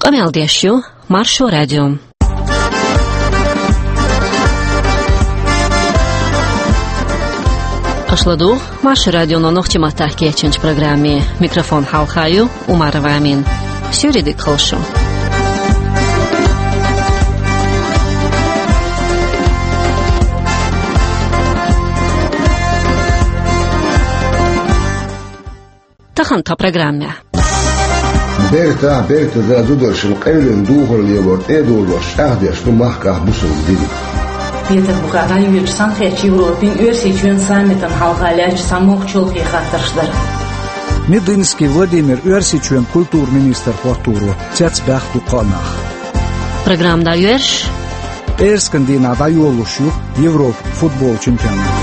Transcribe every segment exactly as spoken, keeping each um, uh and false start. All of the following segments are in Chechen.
Къамел деш ю Маршо радио. Аша ладугӀу Маршо радионо нохчийн маттахь кечйинчу программе. Микрофон хьалха ю Умарова Амина. Суьйре дика хуьлда шун. Тахана тхан программехь. Бертахь, бертаза зударшна къевлина духар лелор тӀе а дожош, чӀагӀдеш ду махкахь бусулба дин. Петарбухехь дӀайоьдучу Цхьаьнакхеттачу Европин, Оьрсийчоьнан саммитана хьалха лаьттачу цхьамогӀа чолхе хаттарш дара. Мединский Владимир Оьрсийчоьнан культуран министр хӀотторо цецбаьхна дуккха а нах. Программа дӀайоьрзуш. ПӀераскан дийнахь дӀайолалуш ю Европан футболан чемпионат.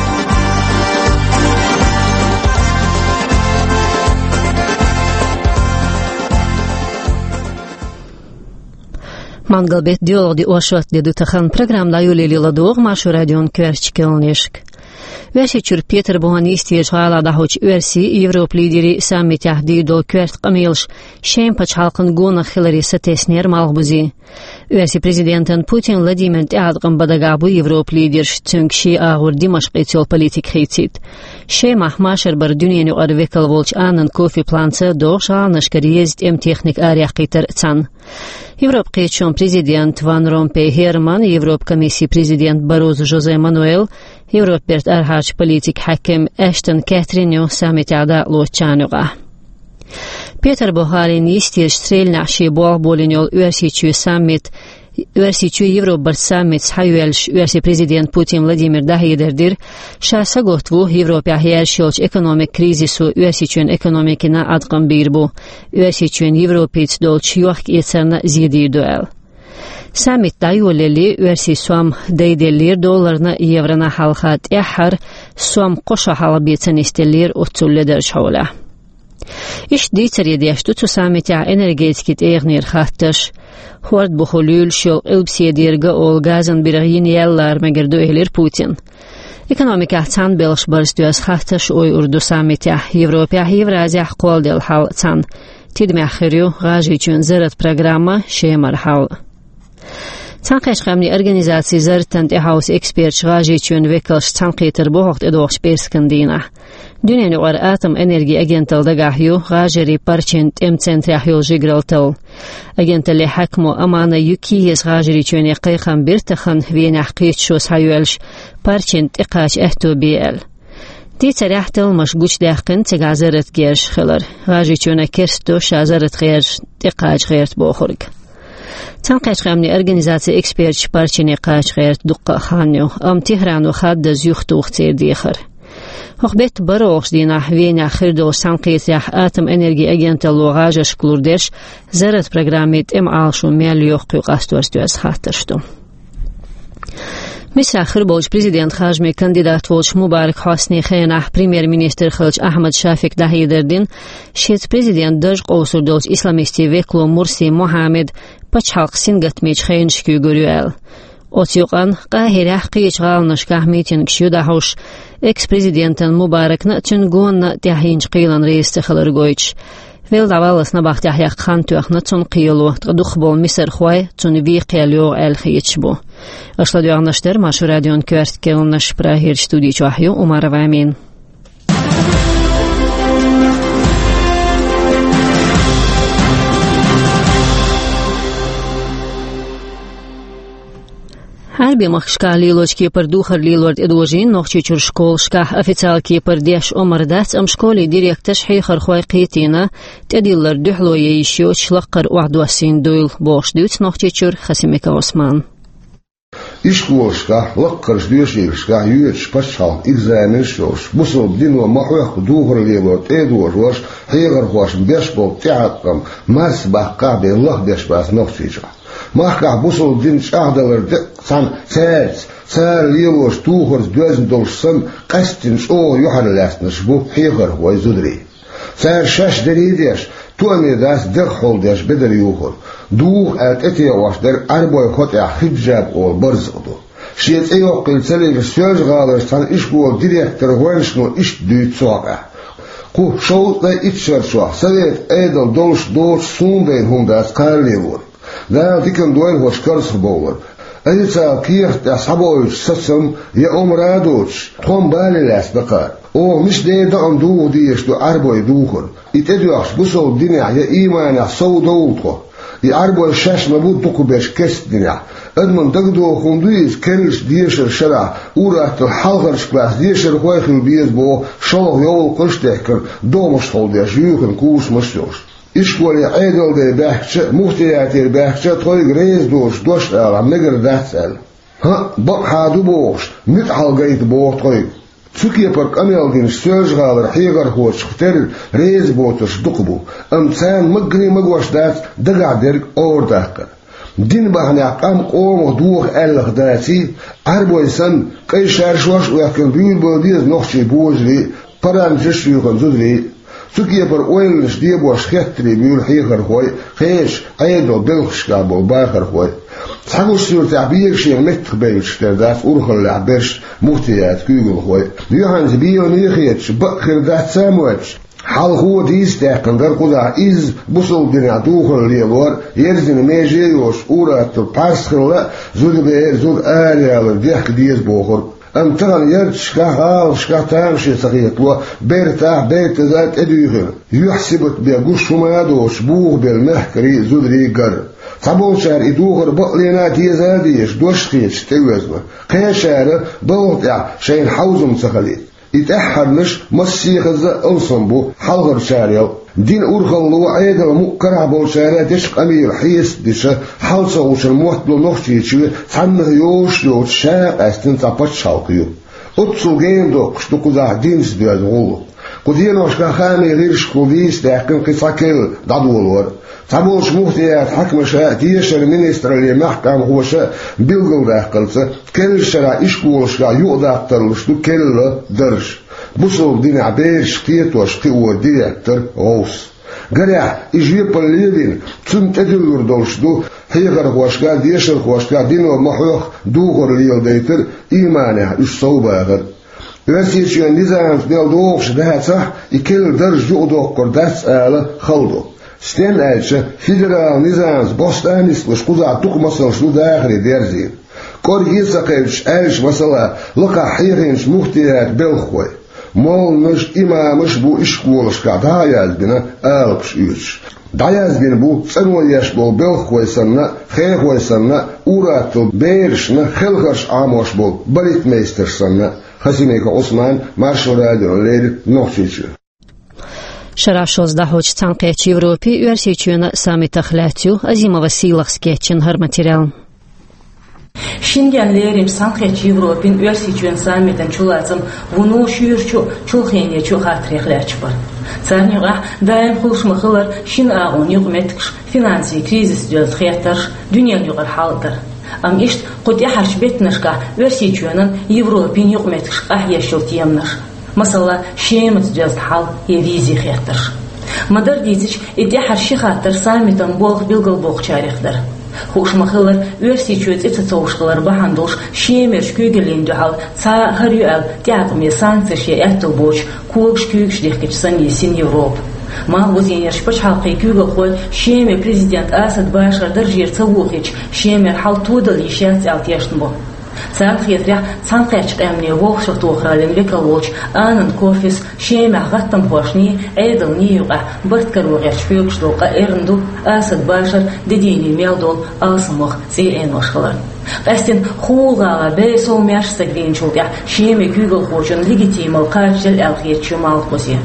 Мангал-беттан доьалгӀа де, оршот де ду тахана. Программа дӀайолале ладогӀа Маршо радион коьртачу кхаьънашка. Оьрсийчуьра Петарбухехь йистехь гӀалахь дӀахьочу оьрсийн, Европан лидерийн саммитехь дийр долу коьрта къамелаш шайн пачхьалкхан гонах хиларе сатеснера Малхбузе. Оьрсийн президентан Путин Владимиран тӀеӀаткъам бан дагахь бу Европан лидерш, цуьнга шен агӀор Димашкъаца йолу политика хийцийта. Шемахь машар бара дуьненан юкъара векал волчу Аннан Кофи Планца, догӀуш гӀаланашкара еза тӀеман техника араяьккхийтар а цхьаьна. Европан кхеташонан президент Ван Ромпей Герман, Европан комиссин президент Баррозу Жозе Мануэл, Европан бертан арахьарчу политикан хьаькам Эштон Кэтрин ю саммитехь дакъалоцучарна юкъахь. Петарбухехь йистехь Стрельнехь шен болх болийна йолу Оьрсийчоьнан саммит, Оьрсийчоь-Европа барт саммит схьайоьллуш, Оьрсийн президента Путин Владимира дӀахьедар дира, ша сагатта ву Европехь яьржаш йолчу экономикан кризисо Оьрсийчоьнан экономикина Ӏаткъам бийр бу, Оьрсийчоьнан Европица долчу йохк-эцарна зе дийр ду аьлла. Саммит дӀайолале, оьрсийн сом дайделлера долларна а, еврона а хьалха, тӀаьххьара сом кхо шо хьалха бен ца нисделлера оццул ледарчу хьолехь. Иштта дийцаре деш ду цу саммитехь энергетикин тӀегӀанера хаттарш. ХӀорда бухахь луьйлуш йолу Къилбаседера Гаола газан биргӀа йина ял лара мегар ду, элира Путина. Экономикехь цхьаьна белхаш барза доьзна хаттарш ойур ду саммитехь, Европехь а, Евразехь а кхолладелла хьал а цхьаьна. Тидамехь хир ю ГӀажарийчоьнан зарратан программа, Шемара хьал а. Цхьаьнакхеттачу Къаьмнийн Организацин зарратана тӀехьовса эксперташ, ГӀажарийчоьнан векалш цхьаьнакхетар бу хӀокху тӀедогӀучу пӀераскан дийнахь. Дуьненан юкъара атоман энергин агенталла дагахь ю ГӀажарийн парчийн тӀеман центрехь йолу жигаралла талла. Агенталлин хьаькамо Амана Юкиеза ГӀажарийчоьне кхайкхам бира тахана Венехь кхеташо схьайоьллуш, парчийн тӀекхача аьтто бе аьлла. Дийцарехь, талламаш гучудаьккхина цигахь зарратан герзаш хилар. ГӀажарийчоьнна керста до ша зарратан герзашна тӀекхача гӀерта бохург. Цхьаьнакхеттачу Къаьмнийн Организацин эксперташ парчийне кхача гӀерта дуккха а хан ю, амма Техрано хаддаза юхатуху церан дехар. ХӀокху беттан бархӀалгӀачу дийнахь Венехь хир долчу цхьаьнакхетарехь атоман энергин агенталло гӀажаршка лур дерш зарратан программин тӀеман Ӏалашо мел йоккхуьйту къасторца доьзна хаттарш ду. Мисрахь хир болчу президентан харжамийн кандидат волчу Мубарак Хьосни хенахь премьер-министр хиллачу Ахьмад Шафика дӀахьедар дина, шеца президентан дарж къовсур долчу исламистийн векало Мурси Мухьаммад пачхьалкх сингаттамечу хенаш куьйгур ю аьлла. Оцу юкъанна Къахьирехь, кхечу гӀаланашкахь митингаш ю дӀахьош, экс-президентана Мубаракна а, цуьнан гонна а тӀехь йинчу кхелана реза ца хилар гойтуш. Велла дӀаваллалц набахтехь яккха хан тоьхна цунна кхело, ткъа дукхахболу мисархой цунна вен кхел йогӀу аьлла хеташ бу. Аша ладоьгӀнарш дара Маршо радион коьрта кхаьънаш, Прагерчу студи чохь ю Умарова Амина. Ӏаьрбийн махкашкахь лелочу кепара духар лелор тӀедожийна Нохчийчуьра школашкахь. Официалан кепара деш омра дац, амма школе директорш, хьехархой кхетийна, тӀедиллар дуьхьало ян йиш йоцуш лаккхара охьадоссийна дуйла, бохуш дуьйцу Нохчийчуьра Хасимиков Ӏусмана. Ишколашкахь лаккхарчу доьшийлашкахь йоьдуш пачхьалкхан экзаменаш а йолуш, бусалба дино ма-хьоьхху духар лелор тӀедожош, хьехархошна беш болу тӀеӀаткъам марсабаккхахь бен лахбеш бац Нохчийчохь. Махкахь бусалба дин чӀагӀдалар деккъа цхьаьна цаьрца, цара лелош духарца доьзна долуш санна, къаьсттина чӀогӀа юьхьарлаьцнарш бу хьехархой, зударий. Цара шаьш дерриг а деш, тоаме дац дегӀ хьулдеш бедар юхур. Духа аьлла тӀетеӀош дерг Ӏаьрбойн хотӀехь хиджаб олу барзакъ ду. Шен цӀе йоккхийла ца лигаш Соьлжа-ГӀаларчу цхьана ишколан директор гӀоьншано иштта дуьйцу цу хьокъехь: «Кху шовзткъе итт шарчохь, Совет Ӏедал долуш доцуш, суна дайна хӀума дац кхаралелориг. Дала дикан дойла хӀорш карзахбовлар. Официал кехат тӀехь схьабоуьйтуш сацам я омра а доцуш, тхо-м бале лаьцна дакъа. Оха мича дера дакъана дугӀу дезаш ду Ӏарбой духар. И тӀедоьхча бусалба динехь я ийманехь сов довла тхо. И Ӏарбой шаьш ма бу дукхахберш керста динехь. Адамна дагадогӀу хӀума ду иза, керлачу дешаран шарахь ур-атталла хьалхарчу классан дешархой а хила беза боху шолгӀа йовлакхаш а дехкина, догӀмашхула деш юьйхина курсамаш а йолуш. Ишколе Ӏедалан ден баьхкича а, муфтиятера баьхкича а тхоьга реза доцуш дош алахь мегар дац аьлла. ХӀаъ, бакъахьа ду бохуш, муьтӀахь гайта боху тхоьга. Цу кепара къамел динчу Соьлжа-ГӀалара хьехархочух терра реза боцурш дукха бу, амма царна маггане а магош дац дагахь дерг орадаккхар. Дин бахьанехь къам къомах доха аьлларх даций, Ӏарбой санна, къай шаршош а оьхкина буьйлабала деза нохчийн божарий а, паранджаш а юьйхина зударий а. Цу кепара ойланаш, дебош хеттарий буьйлу хьехархой а, кхечу Ӏедалан белхашкахь болу бахархой а. Цхьа гуш суьртехь бегашена меттахбевллачух тера дац урхаллехь берш, муфтиятан куьйгалхой а. Юьхьанца беламе а хеташ, бакъ хир дац а моьттуш, хьалхо а дийца даьккхина дара кхузахь изза бусалба динехь духар лелор, ерзина меже а йоцуш, ур-атталла пхьарс хилла а, зуда бер а, зуда араяла дехка деза бохург. Амма тахана ярташкахь, гӀалашкахь тамаше ца хетало, бертахь а, бертаза а тӀедуьйхина, юьхь-сибат бен гуш хӀума а доцуш, бухабелла мехкарий а, зударий а гар. Цхьаболчара и духар бакълена а деза а дезаш, дош а хеташ тӀеоьзна. Кхечара балха тӀехь шайна хьовзам ца хилийта. И тӀаьххьарнаш массехаза а алсам бу хьалхарчарел. Дин урхалло, Ӏедал мукъ карахь болчара дечу къамелан хьесап дича, хьал ца гӀучун моттало Нохчийчоь цхьаннах йозуш а йоцуш ша а къаьстина цхьа пачхьалкх ю. Оццул гена доккхуш ду кхузахь динца доьзна гӀуллакх. Кху деношкахь хаамийн гӀирсашкахула дийца даьккхина кхин цхьа керла дӀадолор. Цхьаболчу муфтиятан хьаькамаша а, дешаран министраллин мехкан къамелхоша а билгалдаккхарца, керлачу шарахь ишколашкахь юкъадаккха тарлуш ду керла дарж. Бусалба динехь берашка кхетош кхио директор, гӀовс. Гарехь, и жоьпалле а вина, цунна тӀедуьллур долуш ду хьехархошка а, дешархошка а дино ма-хьоьхху духар леладайтар а, ийманехь уьш совбахар а. Оьрсийчоьнан низамца мел догӀуш дацахь а, и керла дарж юкъадоккхур дац ала хала ду. Стенна аьлча, федералан низамца босту а нислуш кхузахь дукха масалш ду дахаре дерзийна. КӀорге а ца кхевдаш аьлча, масала, лакхахь хьехийначу муфтиятан белхахой. Молланаш а, имамаш а бу ишколашкахь дӀа а яздина, алапаш оьцуш. ДӀаязбина бу цӀано еш болу белхахой санна а, хехой санна а, ур-атталла берашна хелхарш Ӏамош болу балетмейстерш санна а. Хасимиков Ӏусман, Маршо радиона леррина, Нохчийчоь. Шарахь шозза дӀахьочу Цхьаьнакхеттачу Европин, Оьрсийчоьнан саммитах лаьцна ю Азимовас Сийлахьас кечйина хӀара материал. Шенгенна леринчу Цхьаьнакхеттачу Европин, Оьрсийчоьнан саммитан чулацам вуно шуьйрачу а, чулхенечу а хаттарех лаьтташ бара. Царна юкъахь даим хуьлуш ма-хиллара шина агӀонан юкъаметтигаш, финансийн кризисца доьзна хеттарш, дуьненан юкъара хьал а дара. Амма иштта кху тӀаьхьарчу беттанашкахь Оьрсийчоьнан Европин юкъаметтигаш къахьоьгуш йолу теманаш. Масала, Шемаца доьзна хьал я визи хеттарш. Ма-дарра дийцича, и тӀаьххьара ши хаттар саммитан болх билгалбохучарех дара. Хууш ма-хиллара, Оьрсийчоь цӀе ца цовшалара бахьана долуш Шемерчу куьйгаллина дуьхьал цхьа а хӀара ю аьлла тӀеӀаткъаме санкцеш я аьтту боцуш когаш куьйгаш дихкича санна йисина Европа. Малхбузенерчу пачхьалкхийн куьйгалхой Шеман президент Асад Башар даржера ца вохийча, Шемара хьал тодала йиш яц аьлла тешна бу. Царна хетарехь, Цхьаьнакхеттачу Къаьмнийн Вовшахтохараллин векал волчу Анан Корфис Шемахь гӀаттамхошний, Ӏедалний юкъахь барт каро гӀерташ хьоьгуш долу къа эрна ду Асад Башаран де дийне мел долу алсамох цӀий Ӏенош хиларна. Къаьстина хӀула гӀала бер совмаьрша стаг вийначул тӀаьхьа Шеман куьйгалхочунна легитимал кхачаделла аьлла хеташ ю Малхбузе.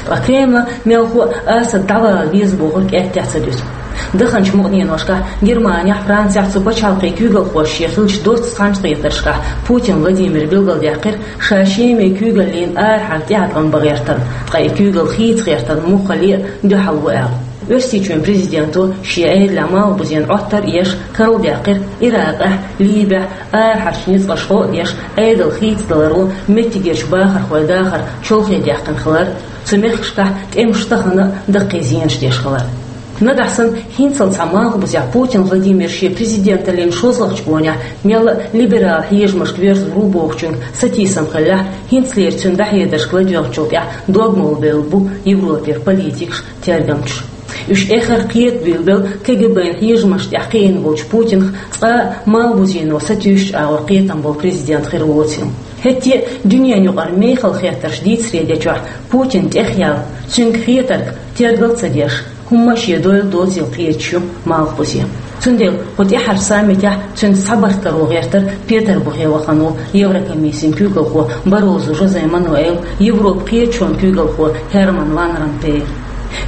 Ткъа Кремлан мелхо а Асад дӀавала веза бохург аьттехьа ца дуьсу. Даханчу мукъаненошкахь Германехь, Францехь цу пачхьалкхийн куьйгалхоша шен хиллачу доцца цхьаьнакхетаршкахь Путин Владимира билгалдаьккхира, ша Шеман куьйгаллина арахьара тӀеӀаткъам бан гӀертарна, ткъа и куьйгалла хийца гӀертарна муххале а дуьхьал ву аьлла. Оьрсийчоьнан президенто шен Ӏедалехь Малхбузенна Ӏоттар а еш, карладаьккхира Иракъехь, Либехь арахьарчу ницкъаша гӀо а деш, Ӏедал хийцадаларо меттигерчу бахархойн дахар чолхе даьккхина хилар, цу мехкашкахь тӀемаша тахана а даккхий зенаш деш хилар. Нагахь санна хӀинццалц цхьа Малхбузехь Путин Владимир шен президенталлин шозлагӀчу гонехь мелла а либерал хьежамашка воьрзур ву бохучуьнга сатийсам хиллехь, хӀинцалера цуьнан дӀахьедаршка ладоьгӀначул тӀаьхьа дог молабевлла бу Европера политикаш, тергамчаш. Уьш эххар кхета буьйлабелла КГБ-н хьежамашна тӀехь кхиийна волчу Путинах цкъа а Малхбузено сатуьйсучу агӀор кхетам болу президент хир воцийла. ХӀетте а дуьненан юкъара мехала хеттарш дийцаре дечохь Путин тӀехъяьлла, цуьнга хетарг тергал а ца деш, хӀумма а шен дойла доцийла кхеташ ю Малхбузе. Цундела кху тӀаьххьарчу саммитехь цуьнца цхьабарт каро гӀертара Петарбухе вахана волу Еврокомиссин куьйгалхо Баррозу Жозе Мануэль, Европан кхеташонан куьйгалхо Херман ван Ромпей.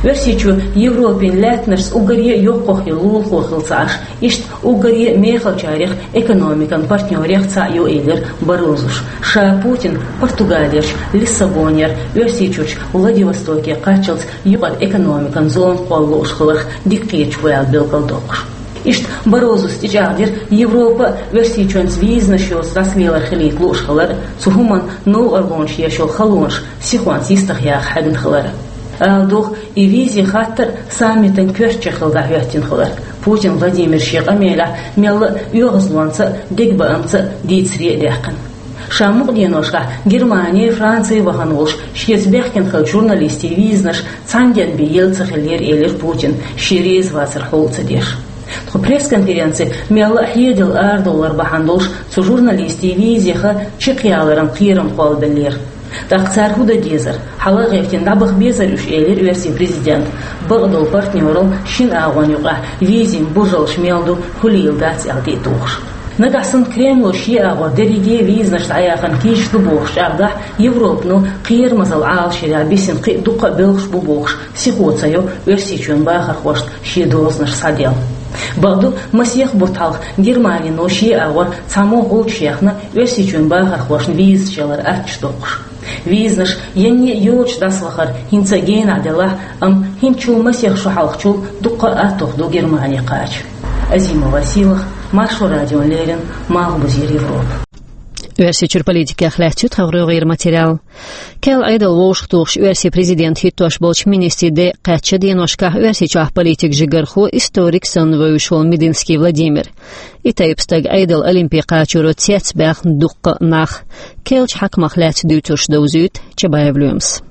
Оьрсийчоь Европин лаьттанашца уггаре а йоккхах йолу лулахо хилла ца Ӏаш, иштта уггаре а мехалчарех экономикан партнёрех цхьаъ ю, элира Баррозус. Ша Путин Португалерчу Лиссабонера Оьрсийчуьрчу Владивостоке кхаччалц юкъара экономикан зона кхолла лууш хиларх дика кхеташ ву аьлла билгалдоккхуш. Иштта Баррозус тӀечӀагӀдира Европа а Оьрсийчоьнца визанаш йоцу дӀасалелар хилийта лууш хилар а, цу хӀуманна новкъарлонаш еш йолу халонаш сихонца йистехь яха хьегна хилар а. Ала догӀу, и визе хаттар а саммитан коьртачех хилла дӀахӀоьттина хиларх Путин Владимира шен къамелехь мелла а оьгӀазлонца а, дегабаамца а дийцаре а даьккхина. Ша мукъа деношкахь Германи а, Франци а вахана волуш, шеца бехкина хиллачу журналистийн визанаш цхьана денна бен елла ца хиллера, элира Путина, шен реза вацар хьулла ца деш. Тхо пресс-конференци мелла а хьедала арадовлар бахьана долуш, цу журналистийн визех чекхъяларан кхерам кхоллабеллера. ТӀаккха цара хӀун дан дезара, хьала а гӀевттина дӀабаха безара уьш, элира оьрсийн президента. Бакъдолу партнёралла шина агӀонна юкъахь визин бужаллаш мел ду, хуьлийла дац аьлла тӀе а тухуш. Нагахь санна Кремло шен агӀор дерриге а визанаш дӀаяхана кийча ду бохуш чӀагӀдахь, Европано кхерамазалла Ӏалашъярехь бисина кхин а дуккха а белхаш бу бохуш, сихо ца йо Оьрсийчоьнан бахархошна шен дозанаш схьаделла. Бакъду, масех бутт хьалха Германино шен агӀор цхьаммо гӀулчаш яьхна Оьрсийчоьнан бахархошна визаш ялар аттачу доккхуш. Визанаш янне а йоцуш дӀасавахар хӀинца а генахь делахь а, амма хӀинцачул масех шо хьалхачул дуккха а аттух ду Германи кхача. Азима Василах, Маршо радиона леррина, Малхбузера Европа. Оьрсийчуьра политикех лаьцна ю тхан гӀайгӀеран материал. Кхел Ӏедал вовшахтухуш оьрсийн президент хӀиттош болчу министрийн де кхаьчча деношкахь Оьрсийчохь политикан жигархо, историк санна вевзаш волу Мединский Владимир. И тайпа стаг Ӏедал Олимпе кхачоро цецбаьхна дуккха а нах. Керлачу хьаькамах лаьцна дуьйцурш довзуьйту Чабаев Лоьмас.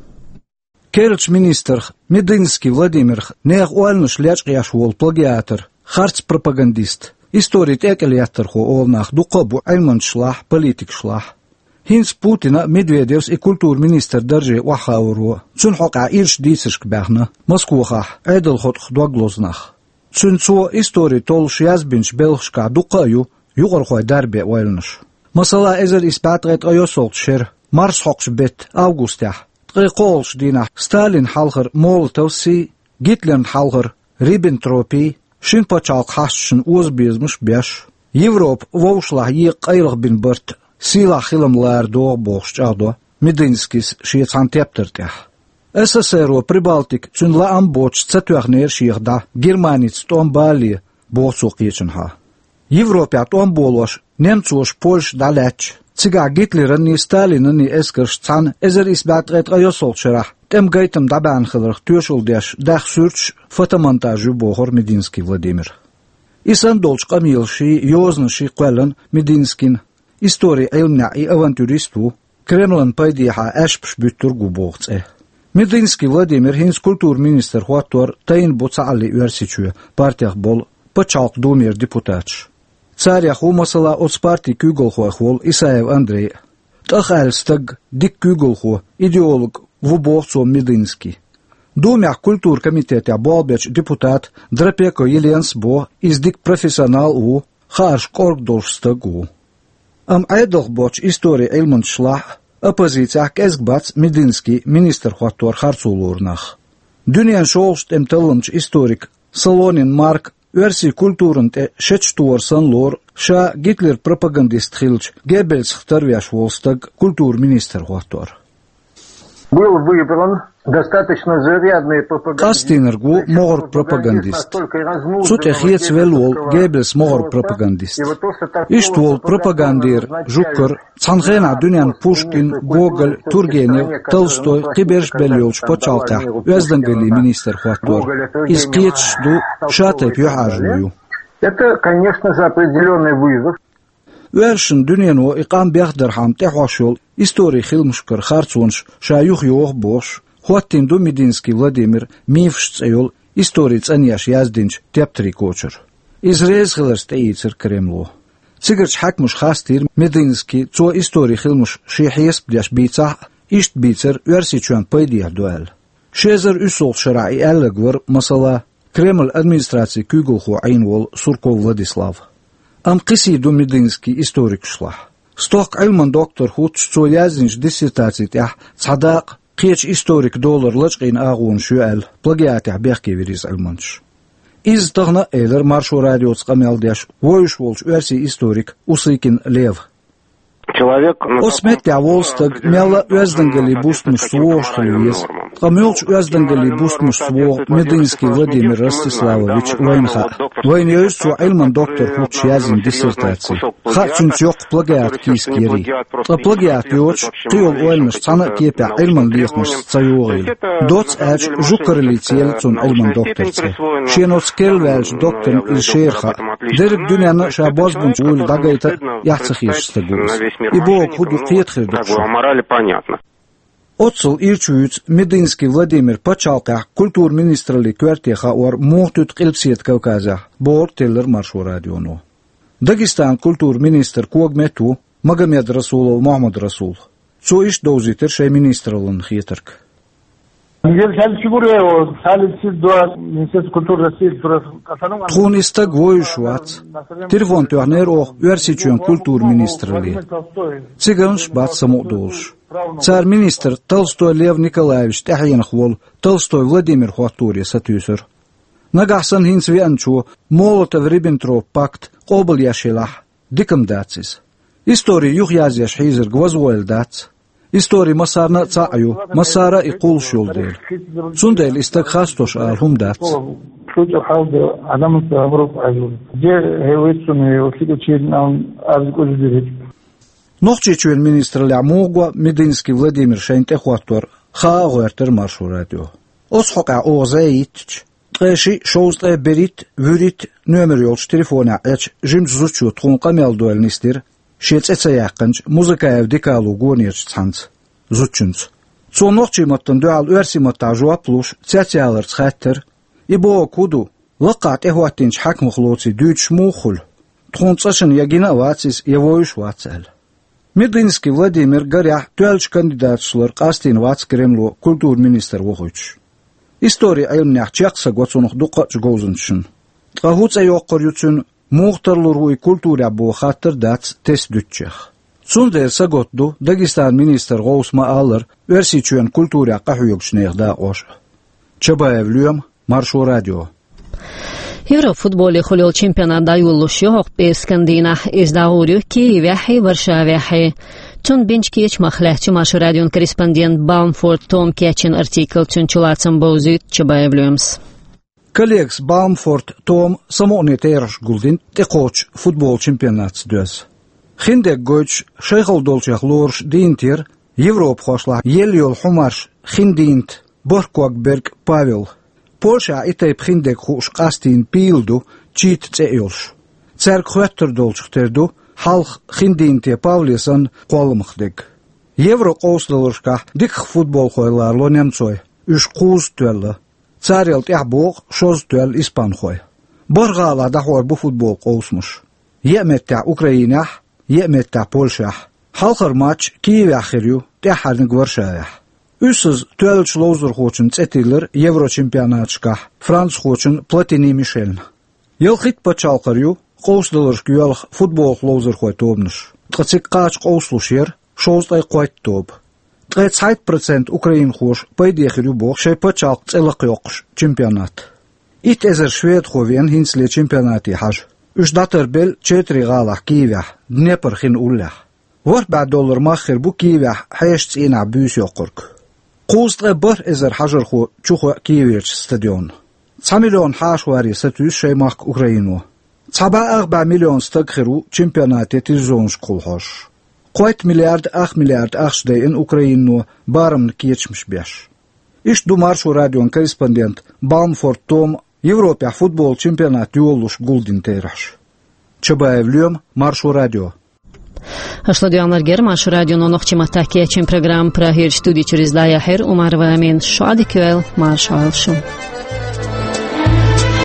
Керлачу министрах Мединский Владимирах нехан ойланаш лечкъош волу плагиатор, харц пропагандист, историн тӀекӀел еттархо олу нах дуккха а бу Ӏилманчашлахь, политикашлахь. ХӀинца Путина а, Медведевс и культуран министран дарже охьахаоро, цуьнан хьокъехь ирча дийцаршка баьхна Москвахь Ӏедалан хотӀах дог лозу нах. Цуьнан цо истори толлуш язбинчу белхашкахь дуккха а ю юкъархойн дарбан ойланаш. Масала, эзар исс бӀе ткъе ткъайоьсналгӀачу шеран марсхьокху беттан августехь, ткъе кхоалгӀачу дийнахь Сталинна хьалхара Молотовс а, Гитлерна хьалхара Риббентропс а шина пачхьалкхан хьашташна озабезамаш а беш, Европа вовшашлахь екъа къайлаха бина барт сийлахь хилам лара догӀу бохуш чӀагӀдо Мединскийс шен цхьана тептар тӀехь. СССР-о Прибалтика цуьнан лаам боцуш ца тоьхнера шех дӀа Германица тӀом балале, боху цо кхечанхьа. Европехь тӀом болош немцоша Польша дӀалаьцча, цигахь Гитлеран а, Сталинан а эскарш цхьаьна эзар исс бӀе ткъе ткъайоьсналгӀачу шарахь тӀеман гайтам дӀабаьхьна хиларх тоьшалла деш даьхна суьрташ а, фотомонтаж ю бохура Мединский Владимира. И санна долчу къамелаший, йозанаший кхоьллина Мединскийна, историн Ӏилманехь и авантюрист ву, Кремлан пайдехьа аьшпаш буьттург ву боху цӀе. Мединский Владимир хӀинца культуран министр хӀоттор тайна бу цхьаалле Оьрсийчоь партех болу Пачхьалкхан Думера депутаташ. Царех ву, масала, оцу партин куьйгалхойх волу Исаев Андрей а. ТӀахаьлла стаг, дика куьйгалхо, идеолог ву боху цо Мединскийна. Думехь культуран комитетехь болх бечу депутата Драпеко Еленас боху, иза дика профессионал а ву, хаарш кӀорга долуш стаг а ву. Амма Ӏедалх боцчу историн Ӏилманчашлахь а, оппозицехь кӀезиг бац Мединский министр хӀоттор харцо лору нах. Дуьненан шолгӀачу тӀеман талламчу историк Солонин Марк оьрсийн культуран тӀе шечтор санна лору ша Гитлеран пропагандист хиллачу Геббельсах тарвеш волу стаг культуран министр хӀоттор. Был выбран достаточно зарядный пропагандист. Къастийнарг ву могӀара пропагандист. Цу тӀе хецавелла волу Геббельс могӀара пропагандист. Иштта волу пропагандера жугтара цхьана хенахь дуьненна Пушкин, Гоголь, Тургенев, Толстой, кхиберш а белла йолчу пачхьалкхехь оьздангаллин министр хӀоттор. Иза кхеташ ду, ша тайпа юьхьӀаьржо ю. Это, конечно же, определённый вызов. Оьрсийн дуьнено и къам бехдархьама тӀехьош йолу историн хиламашкара харцонаш ша юхайоху бохуш, хӀоттийна ду Мединский Владимир «Мифаш» цӀе йолу истори цӀанъеш яздинчу тептарийн кочара. Иза реза хиларца тӀеийцира Кремло. Цигарчу хьаькамаша хастийра Мединский, цо истори хиламаш шен хьесап деш бийцахь а, иштта бийцар Оьрсийчоьнна пайдехьа ду аьлла. Ши эзар уьссалгӀачу шарахь и аьлларг вара, масала, Кремль администрацин куьйгалхо Ӏийна волу Сурков Владислав. Амма кхин сий ду Мединский историкашлахь. Стохка Ӏилман доктор хӀуттуш, цо яздинчу диссертаци тӀехь цхьа дакъа кхечу историкан долара лачкъийна агӀонаш ю аьлла, плагиатехь бехке вира иза Ӏилманчаш. Иза тахана а элира Маршо радиоца къамел деш вевзаш волчу оьрсийн историка Усыкин Лев. Оцу меттехь волу стаг мелла а оьздангаллин бустамашца вогӀуш хила веза, ткъа муьлхачу оьздангаллин бустамашца вогӀу Мединский Владимир Ростиславович вайна хаьа. Вайна евза цо Ӏилман доктор хӀуттуш яздина диссертаци. Хаьа цуьнца йоккха плагиат кийсак ярий. Ткъа плагиат йоцуш, кхийолу ойланаш цхьана а кепехь Ӏилман лехамашца ца йогӀийла. Доцца аьлча, жугталлица елла цунна Ӏилман доктор цӀе. Шен оцу керла ваьллачу докторна иза шера хаьа. Дерриг дуьненна а ша бозбунча вуйла дӀагайта а эхь ца хеташ стаг ву иза. И бохург хӀун ду, кхета хир ду-кх шуна. Оццул ирча вуьйцу Мединский Владимир пачхьалкхехь культура министраллин коьрте хаор муха туьту Къилбаседа Кавказехь, бохург теллира Маршо радионо. Дагестанан культура министр когаметта ву Магомедрасулов Мохьмад-Расул. Цо иштта довзийтира шайн министраллин хетарг. Тхуна и стаг вевзаш вац. Телефон тоьхнера оха Оьрсийчоьнан культура министралле. Цигарнаш бац самукъа долуш. Цара министр Толстой Лев Николаевич тӀаьхьенах волу Толстой Владимир хӀотторе сатуьйсура. Нагахь санна хӀинца веанчо Молотов-Риббентроп пакт къобалъеш елахь, дика-м дац иза. Истори юхаязъеш хьийзарг вазвойла дац. Истори массарна а цхьаъ ю, массара а и кхуллуш йолу дела. Цундела и стаг хастош ала хӀума дац. Нохчийчоьнан министраллехь муха го Мединский Владимир шайна тӀехӀоттор, хаа а гӀоьртира Маршо радио. Оцу хьокъехь оха зӀе йиттича, ткъе шиъ, шовзткъе берхӀитта, вуьрхӀитта номер йолчу телефонехь Ӏечу жимачу зудчо тхуна къамел дойла нисдира шен цӀе ца яьккхинчу Музыкаев Дикалу гонерчу цхьанца, зудчуьнца. Цо нохчийн маттана дуьхьал оьрсийн маттахь жоп луш, цецъяларца хаьттира: «И бохург хӀун ду? Лакхахь тӀехӀоттийначу хьаькамах лоций дуьйцуш муха хуьлу? Тхуна цкъачунна я гина а вац иза, я вевзаш вац», — аьлла. Мединский Владимир гарехь тоьллачу кандидаташ лар къастийна вац Кремло культура министр вохуьйтуш. Истори Ӏилманехь чекх са го цунах дуккха а чу говзанчашна. Ткъа хӀун цӀе йоккхур ю цуьнан, муха тарлур ву и культурехь боху хаттар дац тесна дуьтучех. Цундела сагатта ду Дагестанан министр гӀовс ма-аллара Оьрсийчоьнан культурехь къахьоьгучу нехан дакъош а. Чабаев Лоьма, Маршо радио. Европа футболе хуьлу йолу чемпионат дӀайолалуш ю хӀокху пӀераскан дийнахь. Иза дӀагӀур ю Киевехьий, Варшавехьий. Цунна бинчу кечамах лаьцна ю Маршо радион корреспондент Баумфорд Тома кечйина артикл, цуьнан чулацам бовзуьйту Чабаев Лоьмас. Коллегас Баумфорд Тома самукъане терахьаш гулдина тӀекхочучу футбол чемпионатца доьзна. Хиндерг гойтуш, шайхалла долчех лоруш дийнат яра европахошлахь елла йолу хьумарш хиндийнат бархӀ ког берг Павел. Польшахь и тайпа хиндерг хууш къастийна пийла ду, чита цӀе а йолуш. Цаьрга хоьттур долчух тера ду хьалха хиндийнате Павле санна кхолламах дерг. Евро къовсадаларшкахь диках футболхой ларло немцой, уьш кхузза тоьлла. Царел тӀаьхьа боху шозза тоьлла испанхой. БархӀ гӀалахь дӀахьор бу футбол къовсамаш. Еа меттехь Украинехь, еа меттехь Польшехь. Хьалхара матч Киевехь хир ю, тӀаьххьарниг Варшавехь. Уьссаза тоьллачу ловзархочун цӀе тиллира еврочемпионаташкахь францхочун Платини Мишельна. Ялхитта пачхьалкхара ю къовсадаларшка йоьлху футболах ловзархойн тобанаш, ткъа цига кхача къовсалуш яра шовзткъе кхойтта тоба. Ткъе цхьайтта процент украинхоша пайде хир ю боху шайн пачхьалкхан цӀе лакхайоккхуш чемпионат. Итт эзар шведхо веана хӀинцале чемпионате хьажа. Уьш дӀатарбелла четари гӀалахь Киевехь, Днепр хин уллехь. ВорхӀ бӀе доллар мах хир бу Киевехь хьешан цӀийнахь буьйса йоккхург. Кхузткъе бархӀ эзар хьажархо чу хоьу Киеверчу стадионна. Цхьа миллион хьаша варе сатуьйсу шайн махка Украино. Цхьа бӀе ах бӀе миллион стаг хир ву чемпионате телевизионашкахула хьожуш. Кхойтта миллиард ах миллиард ахча дайина Украино барамна кечамаш беш. Иштта ду Маршо радион корреспондент Баумфорд Тома Европехь футбол чемпионат йолалуш гулдина терахьаш. Чабаев Лоьма, Маршо радио. Аша ладоьгӀнарг яра Маршо радион нохчийн маттахь кечйина программа. Прагерчу студи чуьра иза дӀаяьхьира Умарова Амина. Шун Ӏадика йойла, марша Ӏойла шу.